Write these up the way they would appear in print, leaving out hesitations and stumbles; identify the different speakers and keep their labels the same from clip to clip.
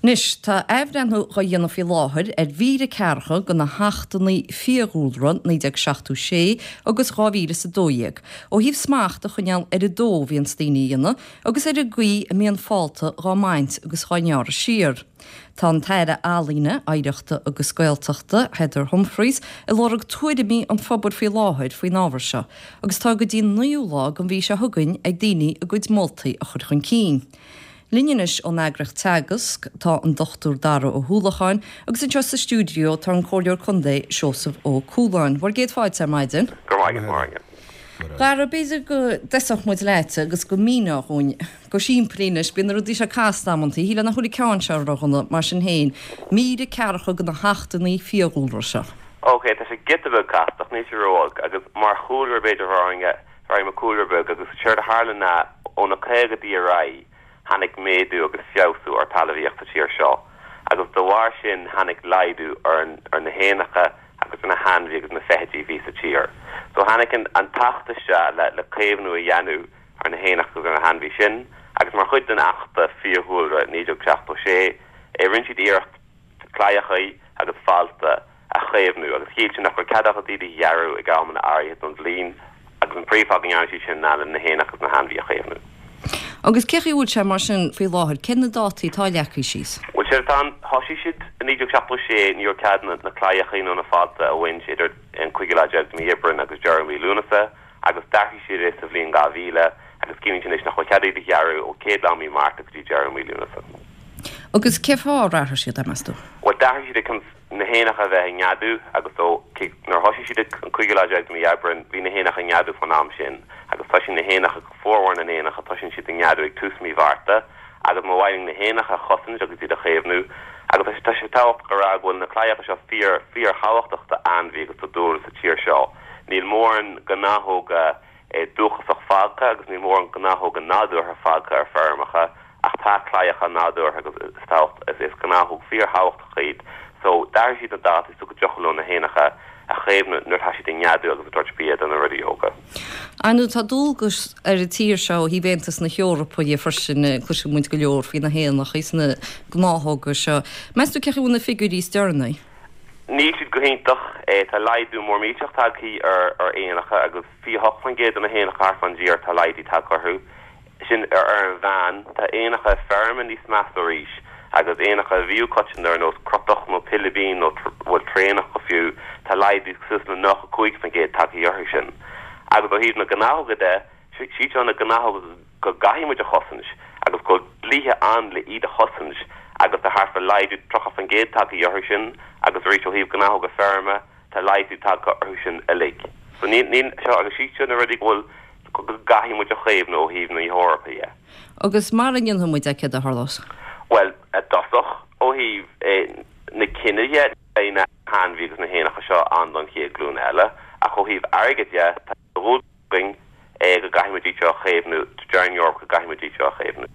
Speaker 1: Anois, tá athbhreithniú dhá dhéanamh faoi láthair ar mhír a ceathracha de na hAchtanna Fiadhúlra, 1976 agus 2012, ó thaobh smacht a choinneáil ar an dó a bhíonns daoine a dhéanamh agus ar an gcaoi a mbíonn fálta dhá mbaint agus dhá ngearradh siar. Tá an tAire Ealaíne, Oidhreachta agus Gaeltachta, Heather Humphreys, ag lorg tuairimí an phobail faoi láthair faoin ábhar seo agus tá go dtí an naoú lá den mhí seo chugainn ag daoine a gcuid moltaí a chur chun cinn. Linn anois ón eagraíocht Teagasc tá an Dr Dara Ó hUallacháin agus anseo sa stiúideo tá an Comhairleoir Contae Seosamh Ó Cualáin. Bhur gcéad fáilte ar maidin.
Speaker 2: Go raibh maith agat, a Mháire.
Speaker 1: Dara, b'fhéidir go dtosódh muid leat agus go míneofá dhúinn go simplí anois, bíonn na rudaí seo casta amantaí, shílfeá nach bhfuil an ceann seo ródhona, mar sin féin, mír a ceathracha de na hAchtanna Fiadhúlra seo.
Speaker 2: Ok, tá sé giota beag casta ach níl sé ró-olc agus mar chúlra b'fhéidir a Ghráinne, Bhéarfaidh mé cúlra beag agus séard a tharla ná ó na caogaidí ar aghaidh tháinig méadú agus feabhsú ar talmhaíocht sa tír seo agus de bharr sin tháinig laghdú ar ar na héanacha agus ar na hainmhí agus na feithidí a bhí sa tír. So tháinig an an tAcht isteach le le caomhnú a dhéanamh ar na héanacha agus ar na hainmhí sin agus mar chuid den Achta Fiadhúlra 1976 rinne siad iarracht claíochaí agus fálta a chaomhnú agus chiallaigh sin nach raibh cead acu iad a ghearradh ag amanna áirithe den bhliain agus an príomhfháth go ndearna siad sin ná le na héanacha agus na hainmhí a chaomhnú.
Speaker 1: Agus cé chaoi a bhfuil sé mar sin faoi láthair? Cé na dátaí atá leagtha síos?
Speaker 2: Bhuel, séard atá ann, thosaigh siad i 1976, ní raibh cead na claíochaí nó na fálta a bhaint idir an cúigiú lá déag de mhí Aibreáin agus deireadh mhí Lúnasa agus d'athraigh siad é sa bhliain 2000 agus ciallaíonn sin anois nach bhfuil cead iad a ghearradh ó chéad lá mí Márta go dtí deireadh mí Lúnasa.
Speaker 1: Agus cé fáth ar athraigh siad é, meas tú?
Speaker 2: Bhuel, d'athraigh siad é chun na héanacha a bheith ag neadú agus ó, nuair a thosaigh siad an cúigiú lá déag de mhí Aibreáin, bhí na héanacha ag neadú fán am sin agus toisíonn na héanacha, formhór na n-éanacha, toisíonn siad ag neadú ag tús mí Mhárta agus ba mhaith linn na héanacha a chosaint agus iad a chaomhnú agus tá sé, tá sé tábhachtach a rá go bhfuil na claíocha seo fíor, fíor-thábhachtach d'ainmhí agus do dúlra sa tír seo. Níl mórán gnáthóga dúchasach fágtha agus níl mórán gnáthóga nádúrtha fágtha ar feirmeacha ach tá claíocha nádúrtha agus is tábhacht is gnáthóg fíorthábhachtach iad so d'athraigh siad na dátaí so go dtiocfadh leo na héanacha a chaomhnú nuair atá siad ag neadú agus ag tabhairt bia do na rudaí óga.
Speaker 1: Ar ndóigh tá dualgas ar an tír seo ó thaobh Aontas na hEorpa dhe freisin, cloiseann muid go leor faoi na héanacha is na gnáthóga seo. Meas tú cé chaoi a bhfuil na figiúirí is deireanaí?
Speaker 2: Níl siad go hiontach. Tá laghdú mór millteach tagtha ar éanacha agus 28% de na héanacha thart fán dtír tá laghdú tagtha orthu. Sin ar an mheán. Tá éanacha feirme níos measa arís agus éanacha a bhíodh coitianta ar nós crotach nó pilibín nó bhuel traonach go fiú, tá laghdú suas le 95% tagtha orthu sin. Agus ó thaobh na gnáthóga de, siad seo na gnáthóga go gcaithfidh muid a chosaint agus go bhfuil dlíthe ann le iad a chosaint agus tá thart fá laghdú 30% tagtha orthu sin agus arís ó thaobh gnáthóga feirme tá laghdú tagtha orthu sin uilig. So níl, níl, seo agus siad seo na rudaí go bhfuil, go gcaithfidh muid a chaomhnú ó thaobh na hEorpa dhe.
Speaker 1: Agus mara ndéanfaidh muid é céard a tharlós?
Speaker 2: Bhuel, i dtosach, ó thaobh na cine dhe, beidh na hainmhí agus na héanacha seo ann don chéad ghlúin eile ach ó thaobh airgid dhe, tá dualgas againn é go gcaithfidh muid iad seo a chaomhnú, deir an Eoraip go gcaithfidh muid iad seo a chaomhnú.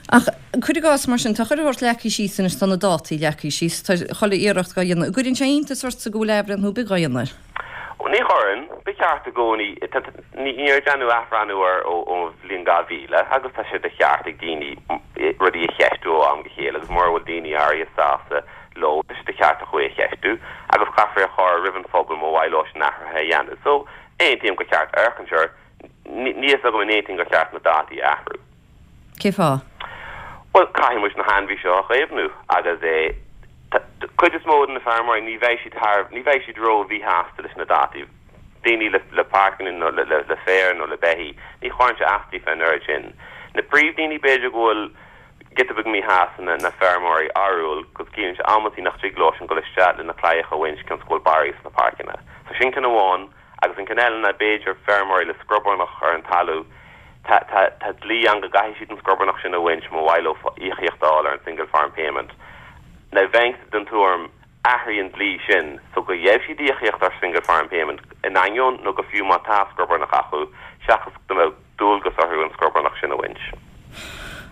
Speaker 1: Ach cuir i gcás mar sin, tá chuile shórt leagtha síos anois, tá na dátaí leagtha síos, tá chuile iarracht dhá dhéanamh. An gcuireann sé iontas ortsa go bhfuil athbhreithniú ar bith dhá dhéanamh air?
Speaker 2: Ní chuireann. Ba cheart i gcónaí, níor deineadh athbhreithniú air ón bhliain 2000 agus tá sé de cheart ag daoine rudaí a cheistiú ó am go chéile agus mura bhfuil daoine áirithe sásta leo, tá sé de cheart acu é a cheistiú agus caithfear é a chur roimh an phobal má mhaith leo sin athruithe a dhéanamh. So, Aontaím gur cheart amharc air, níl fhios agam an aontaím gur cheart na dátaí a athrú.
Speaker 1: Cén fáth?
Speaker 2: Bhuel, caithfidh muid na hainmhí seo a chaomhnú agus é, cuid is mó de na feirmeoirí ní bheidh siad thar, ní bheidh siad ró mhíshásta leis na dátaí. Daoine le le páirceanna nó le le féar nó le beithígh, ní chuireann sé as daofa an oiread sin. Na príomhdhaoine b'fhéidir go bhfuil giota beag míshásta ná na feirmeoirí arúil 'cause ciallaíonn sé amantaí nach dtig leo sin dul isteach le na claíocha a bhaint cionn 's go bhfuil barraí sna páirceanna. So sin ceann amháin agus an ceann eile ná b'fhéidir feirmeoirí le scrobarnach ar an talamh, tá tá tá dlí ann go gcaithfidh siad an scrobarnach sin a bhaint má mhaith leo íocaíocht a fháil ar an single farm payment. Now bheinnse den tuairim athraigh an dlí sin so go gheobhaidh siad íocaíocht ar single farm payment in ainneoin nó go fiú má tá scrobarnach acu seachas go mbeadh dualgas orthu an scrobarnach sin a bhaint.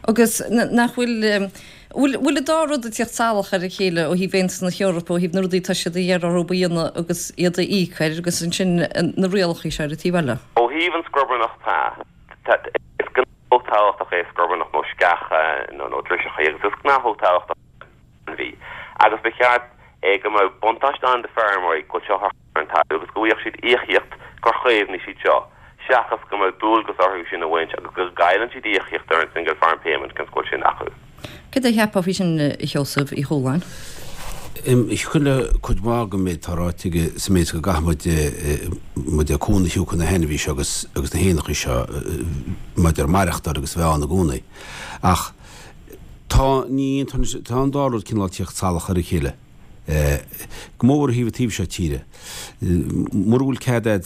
Speaker 1: Agus nach bhfuil, bhfuil, bhfuil an dá rud ag tíocht salach ar a chéile ó thaobh Aontas na hEorpa, ó thaobh na rudaí atá siad a iarraidh orthu a dhéanamh agus iad a íoc air agus ansin na rialacha seo ar an taobh eile?
Speaker 2: Ó thaobh an scrobarnach tá, tá, is gnáthóg. tábhachtach é scrobarnach nó sceacha nó nó driseacha agus is gnáthóg tábhachtach ainmhí agus ba cheart é go mbeadh buntáiste ann do feirmeoirí go bhfuil seo ar an talamh agus go bhfaigheadh siad íocaíocht gur chaomhnaigh siad seo seachas go mbeadh dualgas orthu sin a bhaint agus go gcailleann siad íocaíocht ar an Single Farm Payment cionn is go bhfuil sin acu.
Speaker 1: Céard a cheapfá faoi sin, a Sheosaimh Uí Chualáin?
Speaker 3: Thiocfadh le cuid mhaith den méid atá ráite aige sa méid is go gcaithfidh muid muid cúnamh a thabhairt do na hainmhithe seo agus agus na héanacha seo maidir maireachtáil agus bheith ann i gcónaí. Ach tá ní tá an dá rud cineál tíocht salach ar a chéile. Go mór mhór ó thaobh an taobh seo tíre. Mura bhfuil cead a'd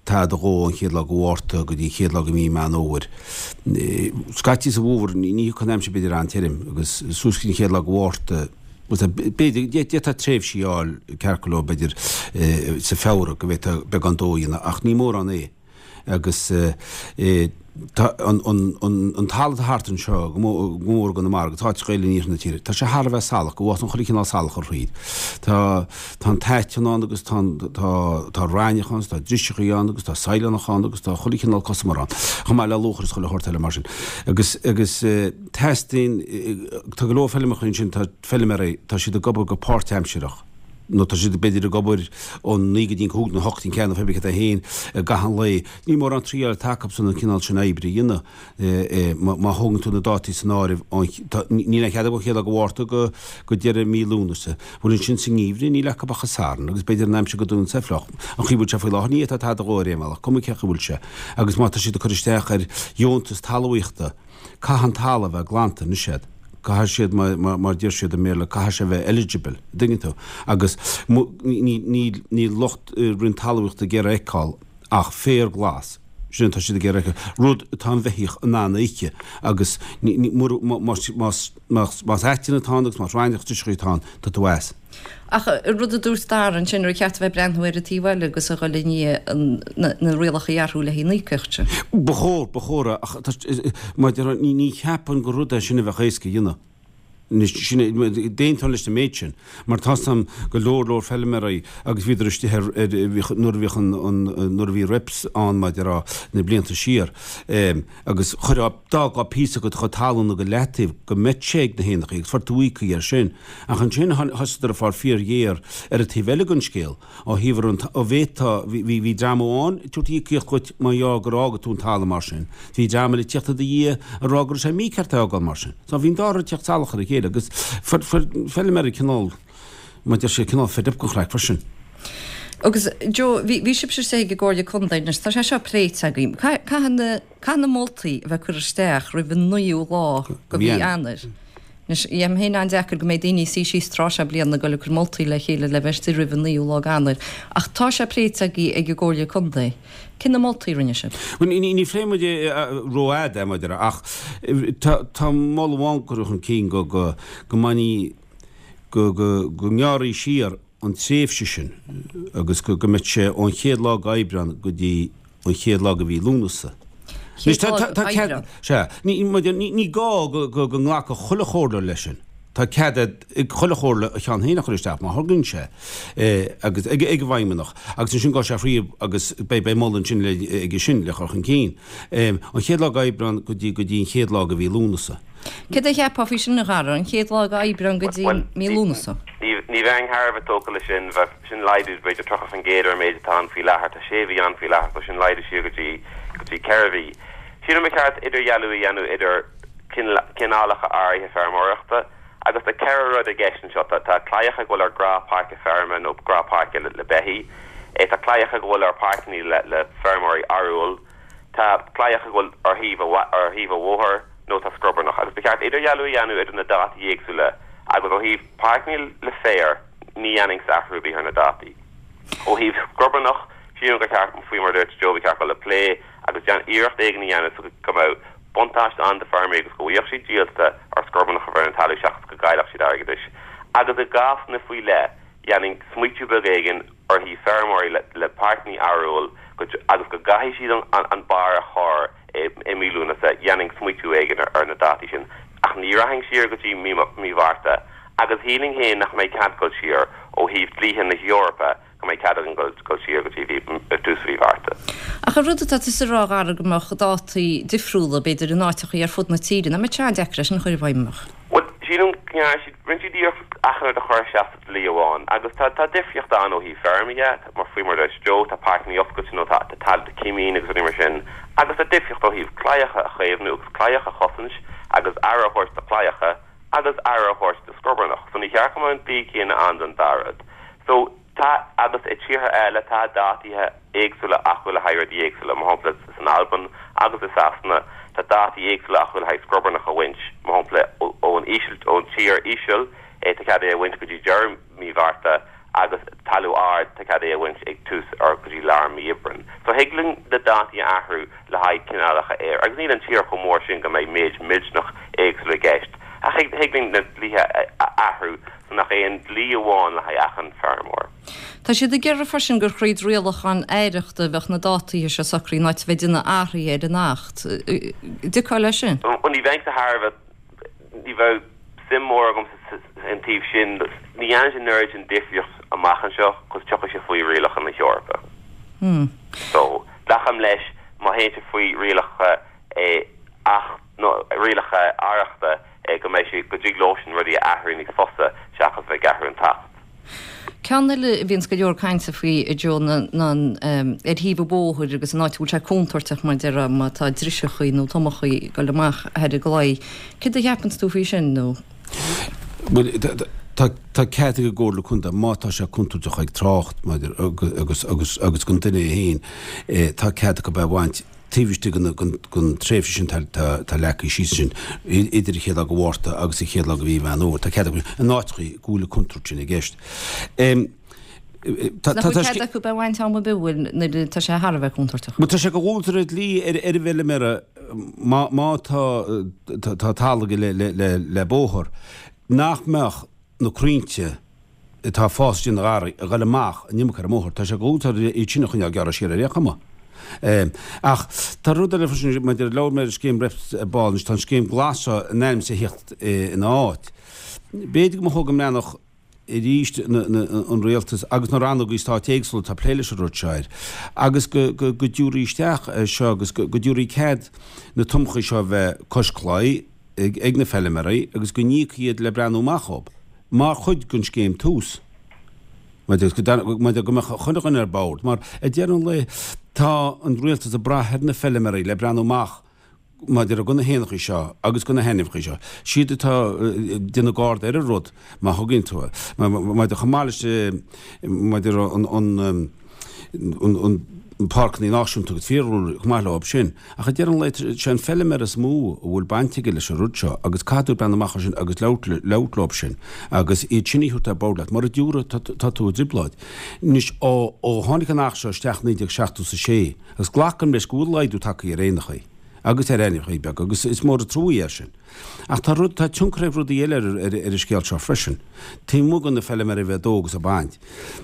Speaker 3: tada a dhó ón chéad lá de Mhárta go dtí an chéad lá de mhí Meán Fhómhair. Scaití sa bhfómhar ní thiocfaidh an aimsir b'fhéidir an-tirim agus suas go dtí an chéad lá de Mhárta b'fhéidir d'fhéadfá tréimhsí a fháil ceart go leor b'fhéidir sa Feabhra go bhféadfá beagán dó a dhéanamh ach ní mórán é. Agus tá an talamh atá thart anseo, go mór i gConamara, agus áiteacha eile in iarthar na tíre, tá sé thar a bheith salach, go bhfásann chuile chineál salach ar thríd. Tá tá an t-aiteann ann agus tá tá tá raithneach ann, tá driseachaí ann agus tá saighleánach ann agus tá chuile chineál cosamar ann, chomh maith le luachair is chuile shórt eile mar sin. Agus agus teastaíonn, tá go leor feilmeacha ansin, tá feilméaraí, tá siad ag obair go páirtaimsireach. nó tá siad b'fhéidir ag obair ón naoi go dtí an cúig nó hocht go dtí an ceathair nó pé ar bith céard é féin i gcaitheamh an lae. Ní mórán triail atá acusan an cineál sin oibre a dhéanamh. Má thógann tú na dátaí san áireamh, níl aon chead acu ón chéad lá de Mhárta go go deireadh mí Lúnasa. Bhuel ansin sa ngeimhreadh níl acu ach an Satharn agus b'fhéidir an aimsir go dtugann sé fliuch. An chaoi a bhfuil sé faoi láthair ní fhéadfá tada a dhó ar aon bhealach, cuma cén chaoi a bhfuil sé. Agus má tá siad ag cur isteach ar dheontas talmhaíochta, Caithfidh an talamh a bheith glanta anois agat. Caithfidh siad, mar deir siad i mBéarla, caithfidh sé a bheith eligible, an dtuigeann tú? Agus níl lucht Roinn Talmhaíochta ag iarraidh a fheiceáil ach féar glas, sin atá siad ag iarraidh a fheiceáil, rud atá an bheithíoch in ann a ithe agus más aiteann atá ann agus más raithneach driseachaí atá ann, tá tú as.
Speaker 1: Ach an rud a dúirt Dara ansin, ar cheart a bheith ag breathnú ar an taobh eile agus a dhul i ndiaidh na rialacha a athrú le haghaidh an íocaíocht sin?
Speaker 3: Ba chóir, ba chóir, ach mar a déarfá, ní cheapaim gur rud é sin a bheadh éasca a dhéanamh. Anois, sin é, d'aontóinn leis an méid sin, mar tá 's a'm go leor leor feilméaraí agus bhíodar istigh ar, ar, nuair a bhíodh an, an, nuair a bhí reps ann, mar a déarfá, na blianta siar. Agus chuirfeá, d'fhágfá píosa de do chuid talún go leataobh go mbeadh sé ag na héanachaí agus fuair tú íoctha air sin. Ach ansin thosaíodar ag fáil fíorghéar ar an taobh eile den scéal, ó thaobh ar an, ó bhféadfá, bhí, bhí dream amháin ag tabhairt íocaíocht dhuit má gheall gur fhága tú an talamh mar sin. Bhí dream eile ag tíocht i do dhiaidh ag rá go raibh sé mícheart é a fhágáil mar sin. So bhí an dá rud ag tíocht salach ar a chéile agus fuair, fuair feilméaraí cineál, mar a deir siad, cineál fed up den chraic freisin.
Speaker 1: Agus Joe, bhí, bhí sibhse istigh ag an gComhairle Contae anois, tá sé seo pléite againn. Caithfidh na, caithfidh na moltaí a bheith curtha isteach roimh an naoú lá de mhí Eanáir. Anois, dhéanfainn féin an-deacair go mbeidh daoine ag suí síos tráth seo bliana ag dul ag cur moltaí le chéile le bheith istigh roimh an naoú lá d'Eanáir. Ach tá sé pléite agaibh ag an gComhairle Contae. Cé na moltaí a rinne sibh?
Speaker 3: Bhuel, ní, ní phléigh muid é rófhada, mar a déarfá, ach tá, tá moladh amháin curtha chun cinn go, go, go mbainfí, go, go, go ngearrfaí siar an tréimhse sin agus go mbeadh sé ón chéad lá d'Aibreán go dtí an chéad lá de mhí Lúnasa.
Speaker 1: Chéad lá d'Aibreán?
Speaker 3: Sea. Ní gá go nglacfadh chuile chomhairleoir leis sin. Tá cead ag chuile chomhairle a cheann féin a chur isteach má thograíonn sé agus ag an bhfeidhmeannach agus ansin gabhfaidh sé thríob agus beidh moladh ansin aige sin le chur chun cinn. An chéad lá d'Aibreán go dtí an chéad lá de mhí Lúnasa.
Speaker 1: Céard a cheapfá faoi sin, a Dhara, an chéad lá d'Aibreán go dtí mí Lúnasa?
Speaker 2: Ní bheinn thar a bheith tógtha leis sin, bheadh sin laghdú b'fhéidir 30% ar an méid atá ann faoi láthair. Tá sé mhí ann faoi láthair so sin laghdú siar go dtí go dtí 4 mhí. Sílim ba cheart idirdhealú a dhéanamh idir cineálacha áirithe feirmeoireachta agus tá 4 rud i gceist anseo. Tá tá claíocha go bhfuil ar gnáthpháirce feirme nó gnáthpháirce le le beithígh. Tá claíocha go bhfuil ar páirceanna le le feirmeoirí arúil. Tá claíocha go bhfuil ar thaobh ar thaobh an bhóthair nó tá scrobarnach agus ba cheart idirdhealú a dhéanamh idir na dátaí éagsúla agus ó thaobh páirceanna le féar ní dhéanfainnse athrú ar bith ar na dátaí. Ó thaobh scrobarnach, sílim gur cheart, faoi mar a dúirt Joe, ba cheart dul le plé agus déan iarracht éigin a dhéanamh so go mbeadh buntáiste ann do feirmeoirí agus go bhfaigheadh siad díolta ar scrobarnach a bheith ar an talamh seachas go gcaillfeadh siad airgeadais. Agus i gcásanna faoi leith, dhéanfainn smaoitiú beag éigin ar thaobh feirmeoirí le páirceanna arúil agus go gcaithfidh siad an barr a chur i mí Lúnasa, dhéanfainn smaoitiú éigin ar na dátaí sin. Ach ní rachainn siar go dtí mí Mhárta. Agus shílfinn féin nach mbeidh cead dul siar ó thaobh dlíthe na hEorpa go mbeidh cead againn dul siar go dtí tús mhí Mhárta.
Speaker 1: Ach an rud atá tusa a rá, a Dhara, go mbeadh dátaí difriúla, b'fhéidir, in áiteachaí ar fud na tíre, nach mbeadh sé an-deacair é sin a chur i bhfeidhm, an mbeadh?
Speaker 2: Bhuel, sílim go ndearna siad, rinne siad iarracht achan rud a chur isteach sa dlí amháin agus tá, tá difríocht ann ó thaobh feirme dhe, mar faoi mar a dúirt Joe, tá páirceanna oscailte nó tá, tá tailte cimín agus rudaí mar sin agus tá difríocht ó thaobh claíocha a chaomhnú agus claíocha a chosaint agus aire a thabhairt do chlaíocha agus aire a thabhairt do scrobarnach. So ní cheart go mbeadh an dlí céanna ann don dá rud. So tá, agus i tíortha eile tá dátaithe éagsúla acu le haghaidh rudaí éagsúla, mar shampla san Albain agus i Sasana tá dátaí éagsúla acu le haghaidh scrobarnach a bhaint, mar shampla ón íseal, ón tír íseal tá cead é a bhaint go dtí deireadh mí Mhárta agus talamh ard tá cead é a bhaint ag tús or go dtí lár mí Aibreáin. So thig linn na dátaí a athrú le haghaidh cineálacha fhéir agus níl an tír chomh mór sin go mbeidh méid millteanach éagsúil i gceist ach thig thig linn na dlíthe a athrú so nach aon dlí amháin le haghaidh achan feirmeoir.
Speaker 1: Tá siad ag iarraidh freisin gur thríd rialacháin aireachta a bheadh na dátaithe seo socraithe in áit a bheith ag déanamh athruithe ar an Acht. Dtiocfá leis sin?
Speaker 2: Bhuel ní bheinn sa thairbhe, ní bheadh suim mór agam sa taobh sin. Ní dhéanann sé an oiread sin difríocht amach anseo cos tiocfaidh sé faoi rialacha na hEorpa. So, glacaim leis má théann sé faoi rialacha Acht nó rialacha aireachta go mbeidh sé, go dtig leosan rudaí a athrú níos fusa seachas bheith ag athrú an tAcht.
Speaker 1: Ceann eile a bhíonns go leor cainte faoi, a Joe, ná ar thaobh an bhóthair agus an áit a bhfuil sé contúirteach mar a déarfá má tá driseachaí nó tomachaí ag dul amach thar an gclaí. Céard a cheapanns tú faoi sin nó?
Speaker 3: Bhuel, tá cead ag an gComhairle Contae, má tá sé contúirteach ag trácht maidir agus agus agus don duine é féin, tá cead acu é a bhaint taobh istigh den tréimhse sin tá leagtha síos ansin, idir an chéad lá de Mhárta agus an chéad lá de mhí Mheán Fhómhair. Tá cead acu in áiteachaí go bhfuil an chontúirt sin i gceist.
Speaker 1: Tá Nach bhfuil cead acu é a bhaint am ar bith bhfuil nuair atá sé thar a bheith contúirteach?
Speaker 3: Bhuel tá sé de dhualgas ar an dlí ar ar an bhfeilméara má má tá tá talamh aige le le le le bóthar nach mbeadh na crainnte atá ag fás istigh ina gharraí ag dul amach an iomarca ar an mbóthar. Tá sé de dhualgas orthu iad sin a choinneáil gearrtha siar ar aon chuma. Ach tá rud eile freisin maidir labhair mé ar an scéim roimh ball anois tá an scéim glas seo in ainm is a theacht ina áit. B'fhéidir go mba chóir go mbreathnódh arís an rialtas agus na rannógaí stáit éagsúla atá ag plé leis an rud seo air agus go dtabharfaí isteach é seo agus go dtabharfaí cead na tomachaí seo a bheith cois claí ag na feilméaraí agus go n-íocfaí iad le breathnú amach dhób mar chuid den scéim Tús. Maidir go mbeadh chuile dhuine ar bord mar ag deireadh an lae tá an rialtas ag brath ar na feilméaraí le breathnú amach maidir do na héanachaí seo agus do na hainmhíochaí seo, siad atá ag déanamh garda ar an rud, má thugann tú é. Maidir chomh maith leis maidir an an an páirceanna náisiúnta agus fiadhúlra chomh maith leo sin. Ach ag deireadh an lae, sé an feilméara is mó a bhfuil baint aige leis an rud seo agus caithfidh tú breathnú amach air sin agus labhairt labhairt leo sin agus iad sin a thabhairt ar bord leat. Mura dtabharfaidh tá tú i dtrioblóid. Anois ó ó tháinig an Acht seo isteach 1976, Agus glacaim leis go bhfuil laghdú tagtha ar éanachaí agus ar ainmhíochaí beaga agus is mór an trua é sin. Ach tá rud, tá tionchar ag rudaí eile ar ar an scéal seo freisin. Taobh amuigh de na feilméaraí a bheith ag dó agus ag baint.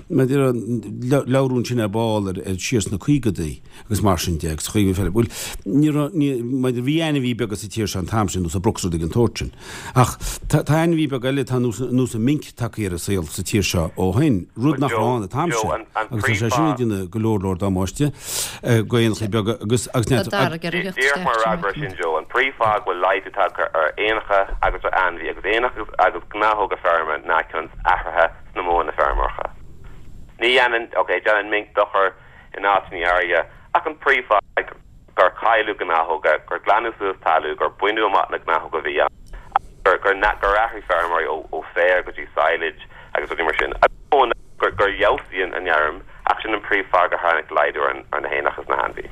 Speaker 3: Maidir le labhrú ansin ar ball ar ar siar sna caogadaí agus mar sin de agus chuig an bhuel ní raibh ní maidir bhí ainmhí beaga sa tír seo an t-am sin nós an broc is rudaí den tsórt sin. Ach tá tá ainmhí beag eile atá nós nós an minc tagtha ar an saol sa tír seo ó shin, rud nach raibh ann an t-am sin, agus tá sé sin ag déanamh go leor leor damáiste go éanachaí beaga agus agus
Speaker 1: Tá Darragh ag iarraidh
Speaker 2: theacht Díreach mar
Speaker 1: isteach
Speaker 2: fhreagra sin Joe, an príomhfháth go bhfuil laghdú tagtha ar éanacha agus ar ainmhí agus éanacha agus gnáthóga feirme ná cionn is athruithe sna modhanna feirmeoireachta. Ní dhéanann, ok, déanann minc dochar in áiteanna áirithe ach an príomhfháth gur cailleadh gnáthóga, gur glanadh suas talamh, gur baineadh amach na gnáthóga a bhí ann, gur gur gur athraigh feirmeoirí ó ó féar go dtí silage agus rudaí mar sin. Agus gur gur fheabhsaigh an an fheirm ach sin an príomhfháth gur tháinig laghdú ar an ar na héanacha is na hainmhí.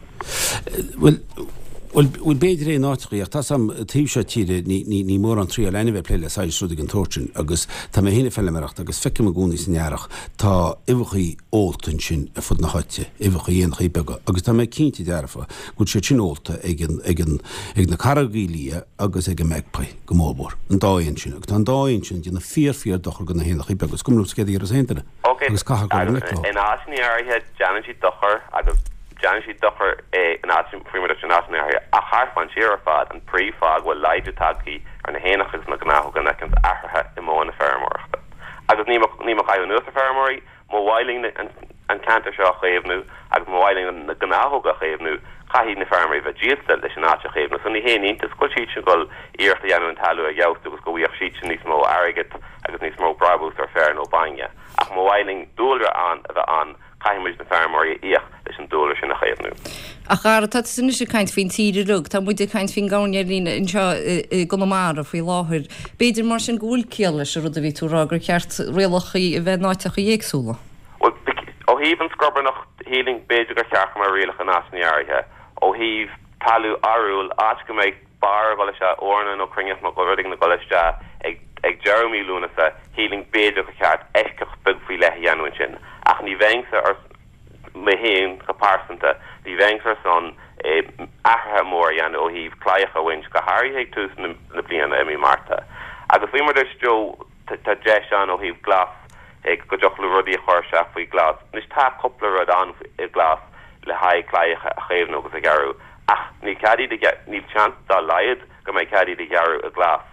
Speaker 3: Bhuel, bhuel, bhuel b'fhéidir é in áiteachaí ach tá 's a'm taobh seo tíre ní ní ní mórán triail ainmhithe ag plé le silage is rudaí den tsórt sin agus tá mé féin ag feilméaracht agus feicim i gcónaí san earrach tá uibheachaí ólta ansin ar fud na háite, uibheachaí éanachaí beaga, agus tá mé cinnte dearfa go bhfuil siad sin ólta ag an, ag an, ag na carraigí liath agus ag an magpie go mór mhór, an dá éan sin, agus tá an dá éan sin ag déanamh fíor, fíor dochar do na héanachaí beaga, is cuma liomsa céard a déarfas aon duine,
Speaker 2: Ok,
Speaker 3: agus caithfidh dul i ngleic leo.
Speaker 2: In áiteanna áirithe déanann siad dochar agus déanann siad dochar in áiteanna, faoi mar a dúirt, in áiteanna áirithe, ach thart fán tír ar fad, an príomhfháth go bhfuil laghdú tagtha ar na héanacha agus na gnáthóga ná cionn is athruithe i modhanna feirmeoireachta. Agus níl mé ag caitheamh anuas ar feirmeoirí, má mhaith linn an ceantar seo a chaomhnú agus má mhaith linn na gnáthóga a chaomhnú, caithfidh na feirmeoirí bheith díolta leis an áit a chaomhnú. So ní haon iontas go bhfuil siadsan ag dul iarracht a dhéanamh an talamh a fheabhsú agus go bhfaigheadh siadsan níos mó airgead agus níos mó brabús ar féar nó bainne. Ach má mhaith linn dúlra ann a bheith ann, Caithfidh muid na feirmeoirí a íoc leis an dúlra sin a chaomhnú.
Speaker 1: A Dhara, tá tusa anois ag caint faoin tír uilig. Tá muid ag caint faoin gcoirnéilín anseo i gConamara faoi láthair. B'fhéidir mar sin go bhfuil ciall leis an rud a bhí tú a rá, gur cheart rialacha a bheith in áiteacha éagsúla.
Speaker 2: Bhuel, ó thaobh an scrobarnach, shílfinn b'fhéidir gur cheart go mbeadh rialacha in áiteanna áirithe. Ó thaobh talamh arúil, áit go mbeidh barr ag dul isteach, eorna nó cruinneach nó rud éigin ag dul isteach ag ag deireadh mí Lúnasa, shílfinn b'fhéidir gur cheart eisceacht beag faoi leith a dhéanamh ansin. Ach ní bheinnse ar, mé féin go pearsanta, ní bheinnse ar son athruithe mór a dhéanamh ó thaobh claíocha a bhaint, go háirithe ag tús na na bliana i mí Márta. Agus faoi mar a dúirt Joe, tá deis ann ó thaobh glas, go dtiocfadh leo rudaí a chur isteach faoi glas. Anois tá cúpla rud ann i glas le haghaidh claíocha a chaomhnú agus a ghearradh ach níl cead iad a ghearradh, níl seans dá laghad go mbeidh cead iad a ghearradh i glas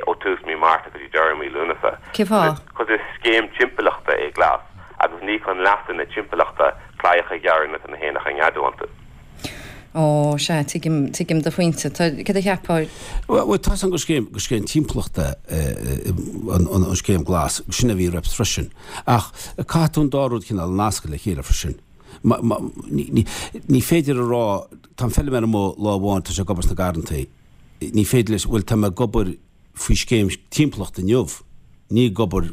Speaker 2: ó tús mí Márta go dtí deireadh mí Lúnasa.
Speaker 1: Cén fáth?
Speaker 2: Cos is scéim timpeallachta é glas agus ní chun leasa na timpeallachta claíocha a ghearradh nuair atá na héanacha ag neadú iontu.
Speaker 1: Ó, sea, tuigim, tuigim do phointe. Tá, céard a cheapfá?
Speaker 3: Bhuel, tá 's agam gur scéim, gur scéim timpeallachta an, an scéim glas, sin a bhí roimhe freisin. Ach caithfidh tú an dá rud cineál a nascadh le chéile freisin. Ní féidir a rá, tá an feilméara amuigh lá amháin, tá sé ag obair sna garrantaí, ní féidir leis, bhuel tá mé ag obair faoi scéim timpeallachta inniu, ní ag obair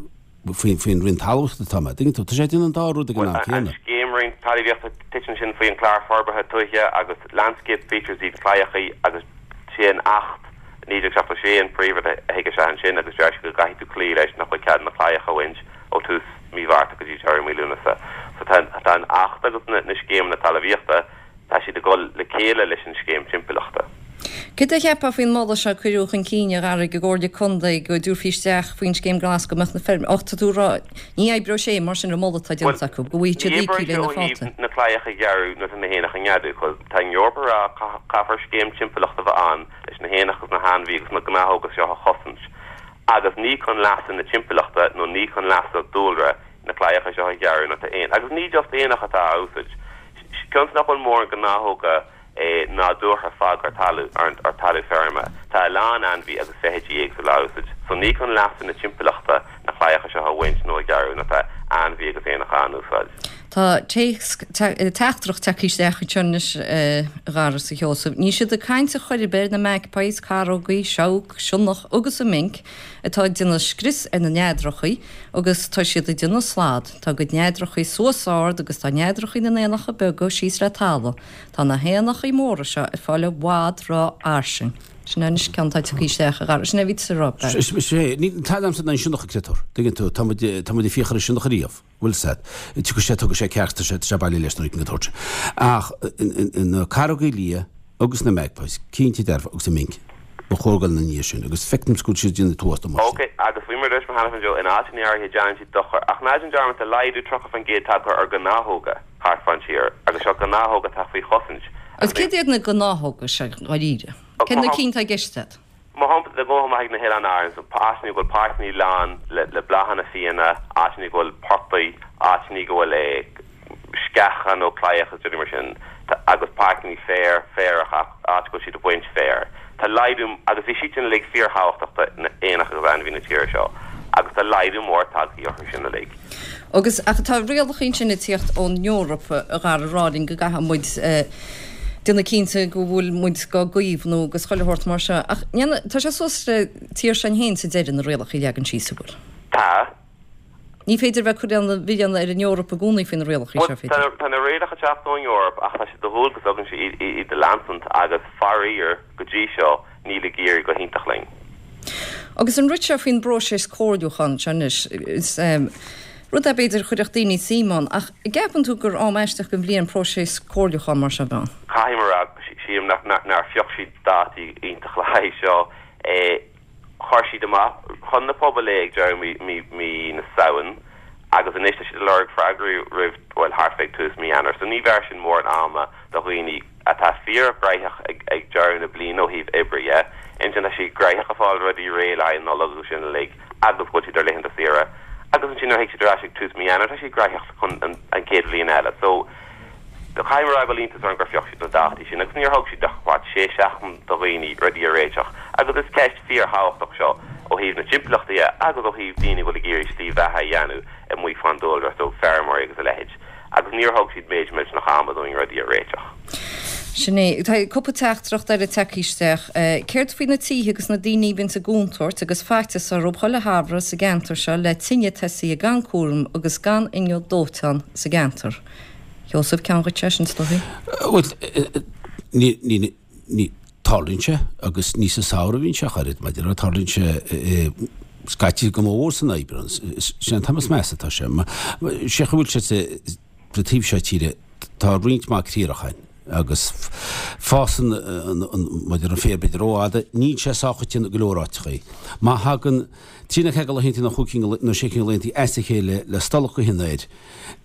Speaker 3: faoin Roinn Talmhaíochta atá mé, tuigeann tú, tá sé ag déanamh an dá rud ag an am céanna.
Speaker 2: An scéim Roinn Talmhaíochta, titeann sin faoi an Clár Forbartha Tuaithe agus Landscape Features iad claíochaí agus sé an Acht 1976 an príomhrud a thig isteach ansin agus deir sé go gcaithfidh tú cloí leis nach bhfuil cead na claíocha a bhaint ó tús mí Mhárta go dtí deireadh mí Lúnasa. So tá tá an Acht agus na na scéimeanna talmhaíochta, tá siad ag dul le chéile leis an scéim timpeallachta.
Speaker 1: Céard a cheapfá faoin moladh seo a cuireadh chun cinn, a Dhara, ag an gComhairle Contae go dtabharfaí isteach faoin scéim glas go mbeadh na feirm Och, tá tú ag rá, ní oibreoidh sé mar sin an moladh atá déanta acu, go bhfaighidh siad
Speaker 2: Ní
Speaker 1: íocaí
Speaker 2: oibreoidh
Speaker 1: le
Speaker 2: sé
Speaker 1: na
Speaker 2: ó thaobh
Speaker 1: fálta.
Speaker 2: na claíocha a ghearradh nuair atá na héanacha ag neadú, cos tá an Eoraip ag rá caithfear scéim timpeallachta a bheith ann leis na héanacha agus na hainmhí agus na gnáthóga seo a chosaint. Agus ní chun leasa na timpeallachta nó ní chun leasa dúlra na claíocha seo a ghearradh nuair atá éin, agus ní just éanacha atá á úsaid. Cionn is nach bhfuil mórán gnáthóga nádúrtha fágtha ar talamh, ar talamh feirme, tá a lán ainmhí agus feithidí éagsúla á úsaid. So ní chun leasa na timpeallachta na claíocha seo a bhaint nó a ghearradh nuair atá ainmhí agus éanacha á n-úsáid.
Speaker 1: Tá téacs, teachtaireacht tagtha isteach anseo anois, a Dhara is a Sheosaimh. Níl siad ag caint ar chor ar bith ar na magpies, carógaí, seabhac, sionnach agus an minc atá ag déanamh scrios ar na neadrachaí agus tá siad ag déanamh slad. Tá a gcuid neadrachaí suas ard agus tá neadrachaí na n-éanacha beaga síos le talamh. Tá na héanachaí móra seo ag fáil i bhfad ró-fhairsing. Sin é anois ceann atá tagtha isteach, a Dhara. Sin é a bhí tusa a rá, Barry.
Speaker 3: Sé, tá agamsa ná an sionnach an créatúr. Tuigeann tú, tá muid, tá muid ag fiach ar an sionnach ariamh. Bhfuil 's a'd. Tiocfaidh sé, tógfaidh sé cearc, tá sé, tá sé baile leis nuair a tabhairt. Ach na carógaí liath agus na magpies, cinnte dearfa, agus an minc, ba chóir dul ina ndiaidh sin agus feicim go bhfuil siad ag déanamh an t-uafás damáiste.
Speaker 2: Ok, agus faoi mar a dúirt mé cheana féin Joe, in áiteanna áirithe déanann siad dochar, ach ná déan dearmad tá laghdú 30% tagtha ar ghnáthóga thart fán tír, agus seo gnáthóga atá faoi chosaint.
Speaker 1: Agus céard iad na gnáthóga seo, dháiríre? Céard na cinn atá i gceist agat?
Speaker 2: Mar shampla, dá ngabhfá amach ag na hOileáin Árann, so áiteanna go bhfuil páirceanna lán le bláthanna fiáine, áiteanna go bhfuil portaigh, áiteanna go bhfuil sceacha nó claíocha is rudaí mar sin, agus páirceanna féir, féarach, áit go bhfuil siad ag baint féir. Tá laghdú, agus bhí siad sin uilig fíorthábhachtach do éanacha agus ainmhithe na tíre seo, agus tá laghdú mór tagtha orthu sin uilig.
Speaker 1: Agus, ach tá rialacha ansin ag tíocht ón Eoraip, a Dhara, ag rá linn go gcaithfidh muid déanamh cinnte go bhfuil muid dhá gcaomhnú agus chuile shórt mar seo. Ach ndéana, tá sé suas le tír s'againn féin sa deireadh na rialacha a leagan síos, an bhfuil?
Speaker 2: Tá.
Speaker 1: Ní féidir bheith ag cur an mhilleáin ar an Eoraip i gcónaí faoi na rialacha seo,
Speaker 2: féidir? Bhuel, tá na rialacha ag teacht ón Eoraip ach tá sé de dhualgas againn iad a leanstant agus faraor, go dtí seo, níl ag éirí go hiontach linn.
Speaker 1: Agus an rud seo faoin bpróiseas comhairliúcháin seo anois, is rud é b'fhéidir a chuirfeadh daoine suim ann, ach an gceapann tú gur am aisteach den bhliain próiseas comhairliúcháin mar seo a bheith ann?
Speaker 2: Caithfidh mé a rá, sílim nár phioc siad dátaí iontach le haghaidh seo. Chuir siad amach chun na pobail é ag deireadh mí na Samhain agus anois tá siad ag lorg freagraí roimh, bhuel, thart fé ag tús mí Eanáir. So ní bheir sin mórán ama do dhaoine. atá fíorghnóthach ag deireadh na bliana ó thaobh oibre dhe. Ansin tá siad gnóthach ag fáil rudaí réidh le haghaidh an Nollag agus sin uilig agus go bhfuil siad ar laethanta saoire. Agus ansin nuair a thig siad ar ais ag tús mí Eanáir tá siad graitheach chun an chéad bhliain eile. So caithfidh mé a rá go bhfuil iontas orm gur phioc siad na dátaí sin agus níor thug siad ach what sé seachtain do dhaoine rudaí a réiteach. Agus is ceist fíor-thábhachtach seo ó thaobh na timpeallachta dhe agus ó thaobh daoine a bhfuil ag iarraidh slí bheatha a dhéanamh amuigh fán dúlra, so feirmeoirí agus a leithéid. Agus níor thug siad méid millteanach ama dúinn rudaí a réiteach.
Speaker 1: Sin é. Tá cúpla teachtaireacht eile tagtha isteach. Céard faoi na tithe agus na daoine a bhíonns i gcontúirt agus faitíos orthu chuile shamhradh sa gceantar seo le tine tosaithe gan cúram agus gan inneall dóiteáin sa gceantar? Sheosaimh, ceann dhuit é sin, is dóichí.
Speaker 3: Bhuel, ní, ní, ní, tarlaíonn sé agus ní sa samhradh a bhíonn sé ach oiread, mar a déarfá, tarlaíonn sé scaití go mór san Aibreán, sin an t-am is measa atá sé. Sé chaoi a bhfuil sé sa taobh seo tíre, tá roinnt mhaith criathrach ann agus fásann an, mar a déarfá, an féar b'fhéidir rófhada, níl sé sách coitianta i go leor áiteachaí. Má thagann trí nó ceathair de laethantaí nó chúig cinn nó sé cinn de laethantaí as a chéile le stolladh gaoithe an aeir,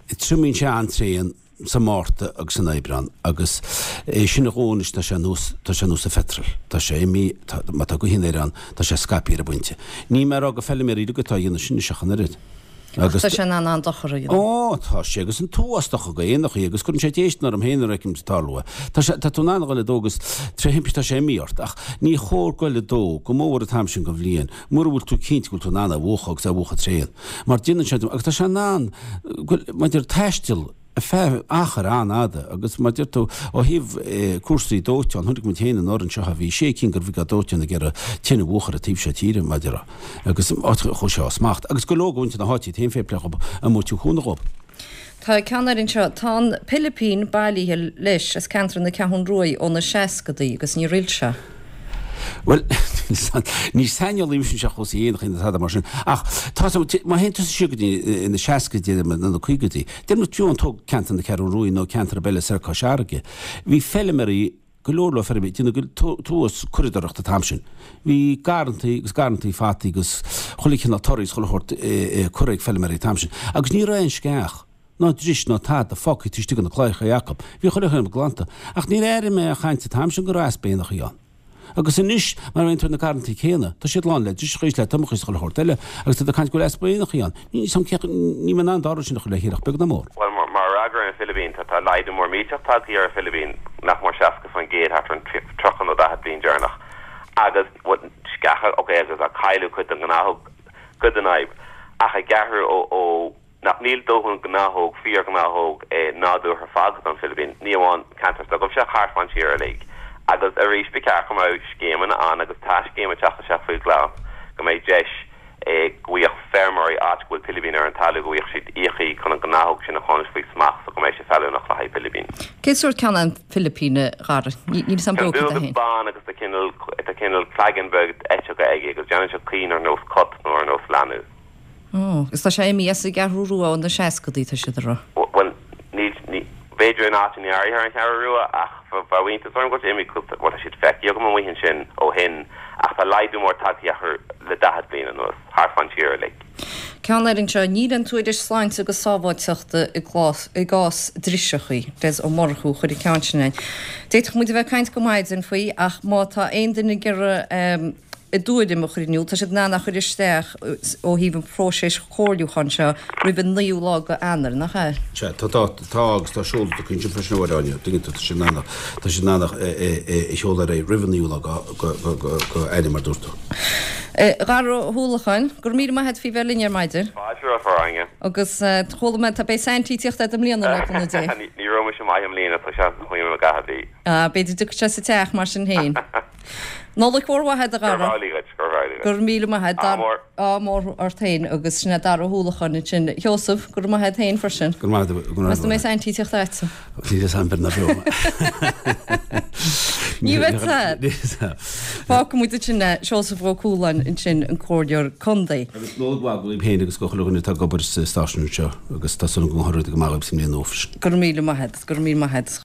Speaker 3: Triomaíonn sé an-tréan sa Márta agus san Aibreán agus é sin a dhó anois tá sé nós, tá sé nós an phetrol. Tá sé imithe, tá, má tá gaoth an aeir ann, tá sé scaipthe ar an bpointe. Níl mé ag rá gur feilméaraí uilig atá a dhéanamh sin anois ach an oiread.
Speaker 1: Agus. Tá sé in ann an-dochar a dhéanamh.
Speaker 3: Ó, tá sé agus an t-uafás dochar go éanachaí agus cuireann sé déistin orm féin nuair a fheicim tarlú é. Tá sé, tá tú in ann a dhul ag dó agus tré thimpiste tá sé imithe ort ach ní chóir goil ag dó go mór an t-am sin den bhliain mura bhfuil tú cinnte go bhfuil tú in ann é a mhúchadh agus é a mhúchadh tréan. Mar déanann sé, agus tá sé in ann, maidir taisteal ar feadh achair an-fhada agus mar deir tú, ó thaobh cúrsaí dóiteáin, chonaic muid féin anuraidh anseo, bhí sé cinn de bhriogáid dóiteáin ag iarraidh tine a mhúchadh ar an taobh seo tíre, mar a déarfá, agus áit a chuaigh sé as smacht. Agus go leor de mhuintir na háite iad féin fair play dhób, amuigh ag tabhairt cúnamh dhób.
Speaker 1: Tá ceann eile anseo. Tá an pilipín bailithe leis as ceantar na Ceathrún Ruaidh ó na seascadaí agus níor fhill sé.
Speaker 3: Bhuel, ní saineolaí mise anseo ar chúrsaí éanachaí ná tada mar sin, ach tá a fhios agam, má théann tusa siar go dtí na seascaidí nó na caogaidí, deir muid fiú amháin tóg ceantar na Ceathrún Ruaidh nó ceantar ar bith eile soir Cois Fharraige, bhí feilméaraí, go leor leor feirmeoirí ag déanamh tuas curadóireachta an t-am sin. Bhí garrantaí agus garrantaí fataí agus chuile chineál torthaí is chuile shórt curtha ag feilméaraí an t-am sin. Agus ní raibh aon sceach, ná dris ná tada fágtha taobh istigh de na claíocha acu. Bhí chuile shórt glanta. Ach níor airigh mé aon chaint an t-am sin go raibh easpa éanachaí ann. Agus anois, mar a théann tú ar na garrantaí céanna, tá siad lán le driseacha is le tomachaí is chuile shórt eile, agus tá tú ag caint go bhfuil easpa éanachaí ann. Níl 'fhios a'm cé, níl mé in ann an dá rud sin a chur le chéile ach beag ná mór.
Speaker 2: Bhuel, mar fhreagra ar an philibín, tá tá laghdú mór millteach tagtha ar an philibín, nach mór 60% thart ar an 30 nó 40 bliain deireanach. Agus, bhuel, sceacha, ok, agus tá cailleadh cuid den ghnáthóg, cuid den fhadhb. Ach ag athrú ó, ó, nach níl dóthain gnáthóg, fíor-ghnáthóg nádúrtha fágtha don philibín, ní amháin ceantar s'agaibhse ach thart fán tír uilig. Agus arís ba cheart go mbeadh scéimeanna ann, agus tá scéim ag teacht isteach faoi Ghlas, go mbeidh deis go bhfaigheadh feirmeoirí áit go bhfuil pilibín ar an talamh, go bhfaigheadh siad íocaíocht chun an ghnáthóg sin a choinneáil faoi smacht so go mbeidh sé feiliúnach le haghaidh pilibín.
Speaker 1: Cén sórt ceann é an pilipín, a Dhara? Níl 'fhios a'm
Speaker 2: Ceann dubh agus bán agus tá cineál, tá cineál claigeann beag eiteoga aige agus déanann sé caoin ar nós cut nó ar nós leanbh.
Speaker 1: Ó, agus tá sé imithe as an gCeathrú Rua ó na seascadaí, tá siad ag rá.
Speaker 2: Bhuel, níl, ní, b'fhéidir in áiteanna áirithe ar an Cheathrú Rua ach bheadh iontas orm go bhfuil sé imithe, bhuel tá siad feicthe agam amuigh ansin ó shin ach tá laghdú mór tagtha orthu le 40 bliain anuas, thart fán tír uilig.
Speaker 1: Ceann eile anseo, níl aon tuairisc sláinte agus sábháilteachta i gclás, i gcás driseachaí. Des Ó Murchú a chuir an ceann sin againn. D'fhéadfadh muid a bheith ag caint go maidin faoi ach má tá aon duine ag iarraidh, a dtuairim a chur in iúl. Tá siad in ann é a chur isteach ó thaobh an phróiseas chomhairliúcháin seo roimh an naoú lá de Eanáir, nach ea?
Speaker 3: Sea, tá, tá, tá agus tá seoladh acu ansin freisin a Áine, tuigeann tú, tá siad in ann, tá siad in ann é a sheoladh ar aghaidh roimh an naoú lá de Eanáir mar a dúirt tú.
Speaker 1: A Dhara Uí Uallacháin, go raibh míle maith agat faoi bheith linn ar maidin.
Speaker 2: Fáilte romhat, a Áine.
Speaker 1: Agus chuala mé, tá beidh Saintí ag tíocht agat i mbliana le cúnamh Dé.
Speaker 2: Ní raibh mise maith i mbliana, tá seans nach bhfaighidh mé a dhath a bhí.
Speaker 1: Ah, b'fhéidir dtiocfaidh sé sa teach mar sin féin. Nollaig mhór mhaith agat, a Dhara.
Speaker 2: Gurb amhlaidh dhuit, gurb amhlaidh
Speaker 1: dhuit. Go raibh míle maith agat.
Speaker 2: Ádh mór.
Speaker 1: Ádh mór ort féin agus sin é Dara Ó hUallacháin ansin. A Sheosaimh, go raibh maith agat féin freisin.
Speaker 3: Go raibh maith agat, go raibh maith agat.
Speaker 1: Meas tú an mbeidh Saintí ag tíocht agatsa?
Speaker 3: Níl fhios a'm beir ná beo.
Speaker 1: Ní bheidh fhios. Fágfaidh muid ansin é, Seosamh Ó Cualáin ansin, an Comhairleoir Contae.
Speaker 3: Agus Nollaig mhaith daoibh féin agus go chuile dhuine atá ag obair sa stáisiún anseo agus tá súil agam go ngabhfaidh rudaí go maith dhaoibh sa mbliain nua freisin.
Speaker 1: Go raibh míle maith agat, go raibh míle maith agat.